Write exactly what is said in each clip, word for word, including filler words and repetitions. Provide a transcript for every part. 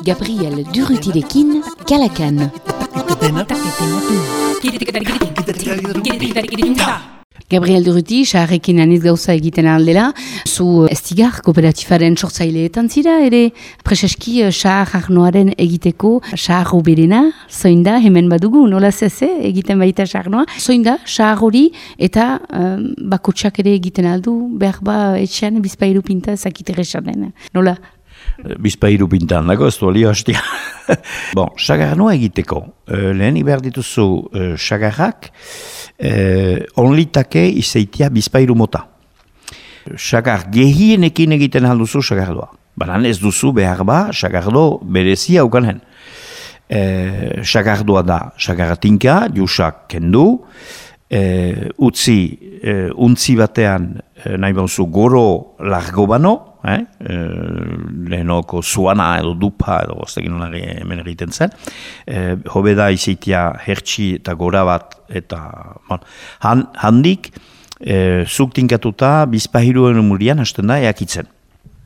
Gabriel Durrutirekin, Kalakan. Gabriel Durruti, saharrekin aniz gauza egiten aldela, zu estigar kooperatifaren sortzaileetan zira, ere preseski sahar arnoaren egiteko sahar oberena, zoin da, hemen badugu, nola zeze, egiten baita sahar noa, zoin da, sahar hori eta um, bakotsak ere egiten aldu, behar ba etxean bizpairu pinta zakitera esanen, nola? Bizpairu pintan dago, ez du olio hastia. Bon, sagar noa egiteko, uh, lehen behar dituzu uh, sagarrak, uh, onlitake izeitia bizpairu mota. Sagar gehienekin egiten alduzu sagardoa. Banan ez duzu behar ba, sagardo berezia ukanen. Uh, sagardoa da, sagarratinka, jusak kendu, uh, utzi, uh, untzi batean, uh, nahi bauzu goro largo bano, Eh? Eh, lehenoko zuana edo dupa edo goztekin honari hemen egiten zen. Eh, hobe da izitia hertsi eta gora bat eta bon, han, handik eh, zuk tinkatuta bizpahiruen umurian hasten da eakitzen.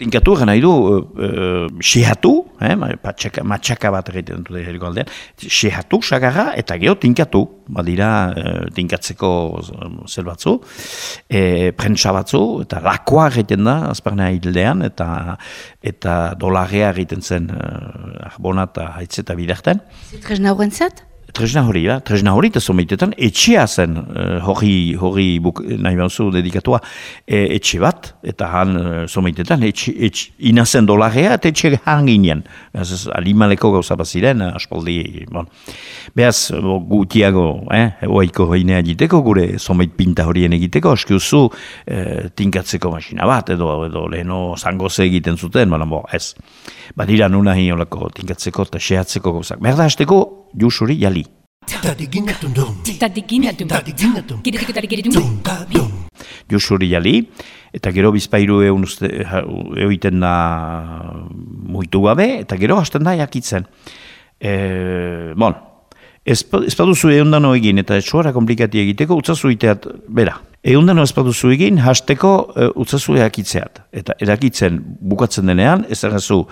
Tinkatu gana idu uh, sehatu, eh, matxaka, matxaka bat egiten dut herriko aldean, sehatu, sagarra, eta gero tinkatu, badira uh, tinkatzeko zer batzu, e, prentsa batzu, eta lakoa egiten da, azparnea hildean, eta, eta dolarrea egiten zen uh, arbona eta haitze eta biderten. Tresna horren zat? Tresna hori, ba? Tresna hori eta zomeitetan etxea zen uh, hori, hori buk, nahi bauzu dedikatua e, etxe bat, eta han uh, zomeitetan etxe, etxe, inazen dolarrea eta etxe hanginean. Beaz, alimaleko gauza baziren, aspaldi, bon. Beaz, gutiago, eh, oaiko heinea egiteko, gure zomeit pinta horien egiteko, askiuzu eh, tinkatzeko masina bat, edo, edo leheno zangoze egiten zuten, baina bo, ez. Badira nuna hiolako tinkatzeko eta sehatzeko gauzak. Berda hasteko, jusuri jali. Jusuri jali, eta gero bizpairu egun egiten da muitu gabe, eta gero hasten da jakitzen. E, bon, ez paduzu eundano egin, eta etxuara komplikati egiteko, utzazu iteat, bera. Eundano ez paduzu egin, hasteko uh, utzazu eakitzeat. Eta erakitzen bukatzen denean, ez errazu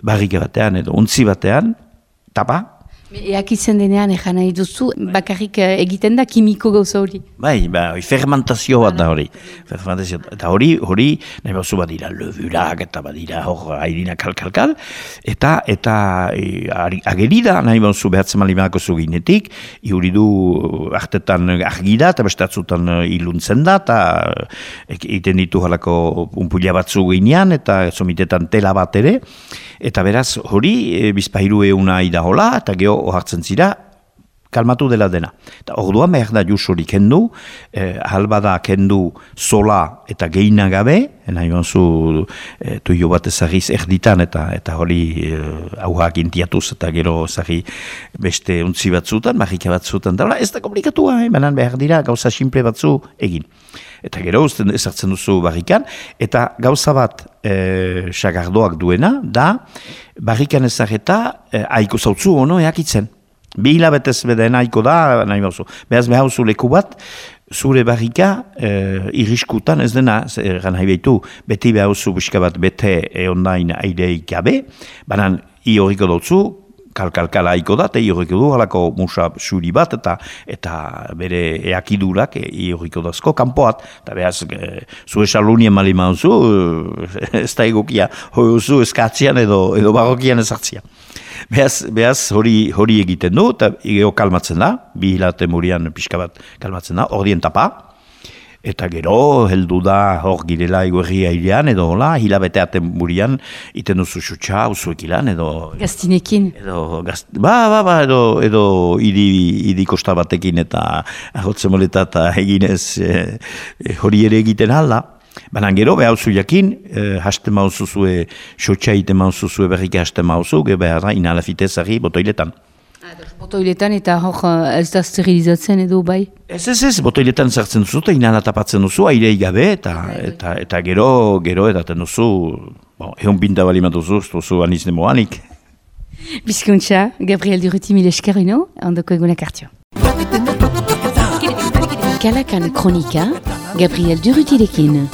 barrike batean edo untzi batean, tapa. Eakitzen denean, ejan nahi duzu, bakarrik egiten da kimiko gauza hori. Bai, ba, fermentazio bat da hori. Fermentazio, eta hori, hori, nahi bauzu badira levurak, eta badira hor airina kalkalkal, eta, eta e, agerida nahi bauzu behatzen malimanako zuginetik, iuri du artetan argida, eta bestatzutan iluntzen da, eta egiten ditu halako unpulia batzu ginean, eta zomitetan tela bat ere, eta beraz hori e, bizpahiru euna idahola, eta geho ohartzen zira, kalmatu dela dena. Eta orduan behar da jusuri kendu, eh, halbada kendu sola eta geina gabe, nahi banzu eh, tuio bat ezagiz erditan, eta eta hori eh, auhak intiatuz, eta gero ezagi beste untzi batzutan, marrika batzutan, da, ez da komplikatua, eh? Banan behar dira gauza simple batzu egin. Eta gero uzten ezartzen duzu barrikan, eta gauza bat eh, sagardoak duena, da barrikan ezageta eh, aiko zautzu ono eakitzen. Bi hilabetez beden aiko da, nahi bauzu. Behaz behauzu leku bat, zure barrika eh, irriskutan ez dena, eran nahi behitu, beti behauzu buska bat bete eondain aireik gabe, banan i horriko dutzu, kalkalkala aiko da, eta i horriko du, halako musa suri bat, eta eta bere eakidurak i horriko dazko kanpoat, eta behaz, e, zure salunien mali mauzu, e, ez da egokia, hori eskatzian edo, edo barrokian ezartzian. Behaz, behaz hori, hori egiten du, eta gero kalmatzen da, bi hilate murian pixka bat kalmatzen da, ordien tapa, eta gero heldu da hor girela iguerri airean, edo hola, hilabete aten murian, iten duzu xutxa, uzuek ilan, edo... Gaztinekin. Edo, gazt, ba, ba, ba, edo, edo idi, idi kosta batekin eta ahotzen moleta eta eginez e, e, hori ere egiten alda. Baina gero, behar zu jakin, eh, haste mauzuzue, xotxa ite mauzuzue berrike haste mauzu, gero behar da inalafitezari botoiletan. Botoiletan eta hor ez da sterilizatzen edo bai? Ez, ez, ez, botoiletan zertzen duzu eta inala tapatzen duzu, airei gabe, eta, eta, eta gero, gero edaten duzu, bon, egon pinta bali matuzu, ez duzu anizne moanik. Bizkuntza, Gabriel Durruti mil eskerino, ondoko egunak hartio. Kalakan kronika, Gabriel Durrutirekin.